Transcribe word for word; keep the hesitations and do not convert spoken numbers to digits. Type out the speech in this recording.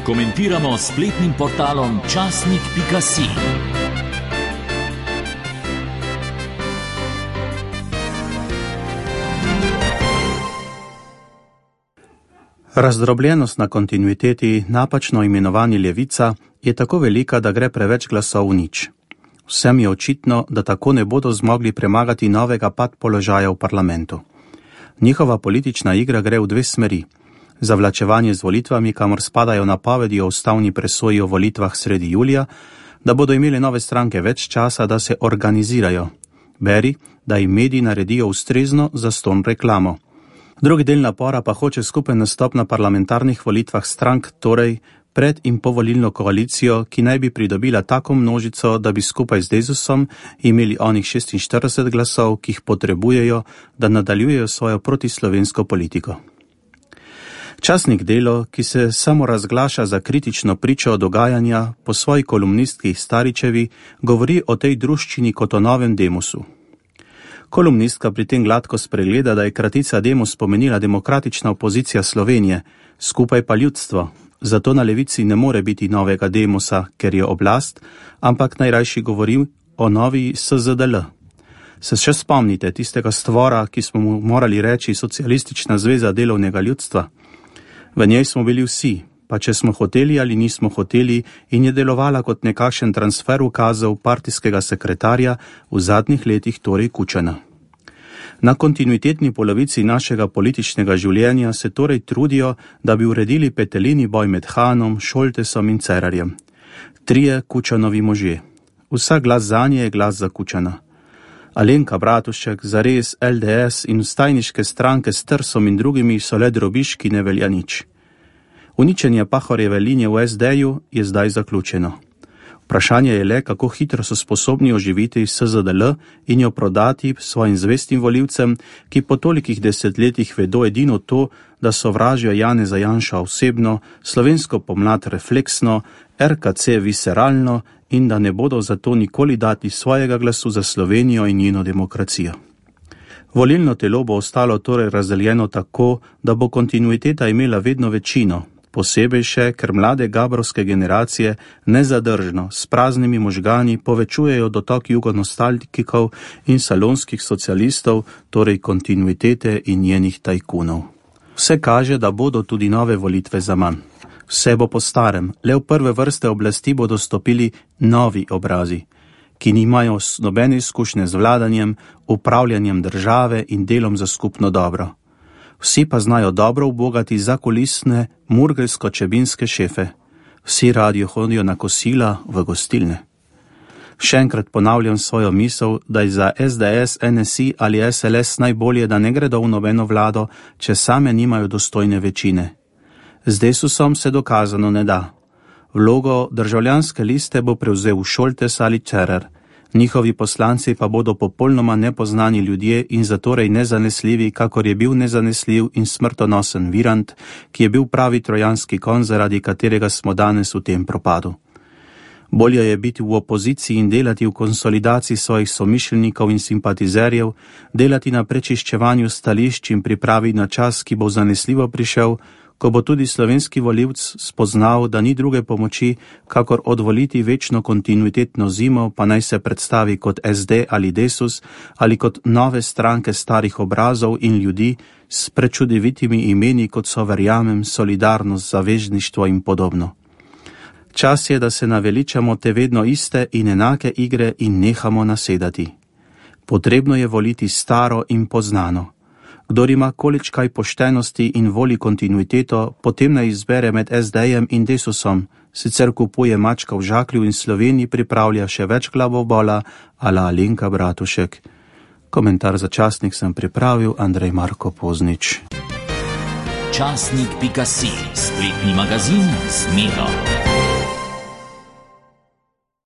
komentiramo s spletnim portalom časnik pika si. Razdrobljenost na kontinuiteti, napačno imenovani levica, je tako velika, da gre preveč glasov v nič. Vsem je očitno, da tako ne bodo zmogli premagati novega pad položaja v parlamentu. Njihova politična igra gre v dve smeri. Zavlačevanje z volitvami, kamor spadajo napovedi o ustavni presoji o volitvah sredi julija, da bodo imeli nove stranke več časa, da se organizirajo. Beri, da jim mediji naredijo ustrezno zastonj reklamo. Drugi del napora pa hoče skupen nastop na parlamentarnih volitvah strank, torej pred in povolilno koalicijo, ki naj bi pridobila tako množico, da bi skupaj z Desusom imeli onih šestinštirideset glasov, ki jih potrebujejo, da nadaljujejo svojo protislovensko politiko. Časnik Delo, ki se samo razglaša za kritično pričo dogajanja, po svoji kolumnistki Staričevi govori o tej druščini kot o novem Demosu. Kolumnistka pri tem gladko spregleda, da je kratica Demos pomenila demokratična opozicija Slovenije, skupaj pa ljudstvo. Zato na levici ne more biti novega Demosa, ker je oblast, ampak najrajši govori o novi S Z D L. Se še spomnite tistega stvora, ki smo mu morali reči Socialistična zveza delovnega ljudstva? V njej smo bili vsi, pa če smo hoteli ali nismo hoteli, in je delovala kot nekakšen transfer ukazov partijskega sekretarja, v zadnjih letih torej Kučana. Na kontinuitetni polovici našega političnega življenja se torej trudijo, da bi uredili petelini boj med Hanom, Šoltesom in Cerarjem. Trije Kučanovi možje. Vsak glas zanje je glas za Kučana. Alenka Bratušek, Zares, L D S in vstajniške stranke s Trsom in drugimi so le drobiž, ki ne velja nič. Uničenje Pahorjeve linije v S D-ju je zdaj zaključeno. Vprašanje je le, kako hitro so sposobni oživiti S Z D L in jo prodati svojim zvestim volivcem, ki po tolikih desetletjih vedo edino to, da sovražijo Janeza Janša osebno, slovensko pomlad refleksno, R K C visceralno in da ne bodo zato nikoli dati svojega glasu za Slovenijo in njeno demokracijo. Volilno telo bo ostalo torej razdeljeno tako, da bo kontinuiteta imela vedno večino, posebej še, ker mlade gabrovske generacije nezadržno s praznimi možgani povečujejo dotok jugonostalgikov in salonskih socialistov, torej kontinuitete in njenih tajkunov. Vse kaže, da bodo tudi nove volitve zaman. Vse bo po starem, le v prve vrste oblasti bodo stopili novi obrazi, ki nimajo nobene izkušnje z vladanjem, upravljanjem države in delom za skupno dobro. Vsi pa znajo dobro ubogati zakulisne murgelsko-čebinske šefe. Vsi radijo hodijo na kosila v gostilne. Še enkrat ponavljam svojo misel, da je za S D S, N S I ali S L S najbolje, da ne gredo v nobeno vlado, če same nimajo dostojne večine. Z Desusom se dokazano ne da. Vlogo državljanske liste bo prevzel Šoltes ali Cerar. Njihovi poslanci pa bodo popolnoma nepoznani ljudje in zatorej nezanesljivi, kakor je bil nezanesljiv in smrtonosen Virant, ki je bil pravi trojanski konj, zaradi katerega smo danes v tem propadu. Bolje je biti v opoziciji in delati v konsolidaciji svojih somišljenikov in simpatizerjev, delati na prečiščevanju stališč in pripravi na čas, ki bo zanesljivo prišel, ko bo tudi slovenski volivc spoznal, da ni druge pomoči, kakor odvoliti večno kontinuitetno zimo, pa naj se predstavi kot S D ali Desus, ali kot nove stranke starih obrazov in ljudi s prečudovitimi imeni, kot so verjamem, solidarnost, zavezništvo in podobno. Čas je, da se naveličamo te vedno iste in enake igre in nehamo nasedati. Potrebno je voliti staro in poznano. Kdor ima količkaj poštenosti in voli kontinuiteto, potem naj izbere med S D-jem in Desusom, sicer kupuje mačka v žaklju in Sloveniji pripravlja še več glavobola ala Alenka Bratušek. Komentar za časnik sem pripravil Andrej Marko Poznič. časnik pika si, spletni magazin z Miro.